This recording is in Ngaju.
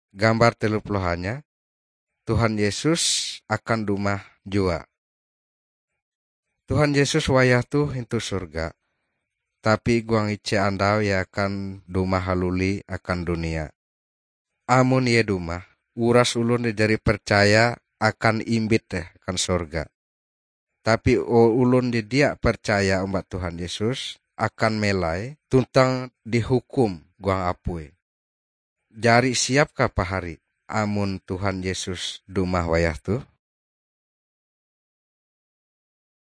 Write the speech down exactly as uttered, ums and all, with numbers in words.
Gambar telu puluh hanya, Tuhan Yesus akan dumah jua. Tuhan Yesus wayah toh intu surga, tapi huang ije andau Ie akan dumah haluli akan dunia. Amon Ie dumah, uras olon je jari percaya akan imbit deh akan sorga. Tapi o-, olon je dia percaya omba Tuhan Yesus akan melai tuntang dihukum huang apui. Jari siapkah pahari amon Tuhan Yesus dumah wayah toh?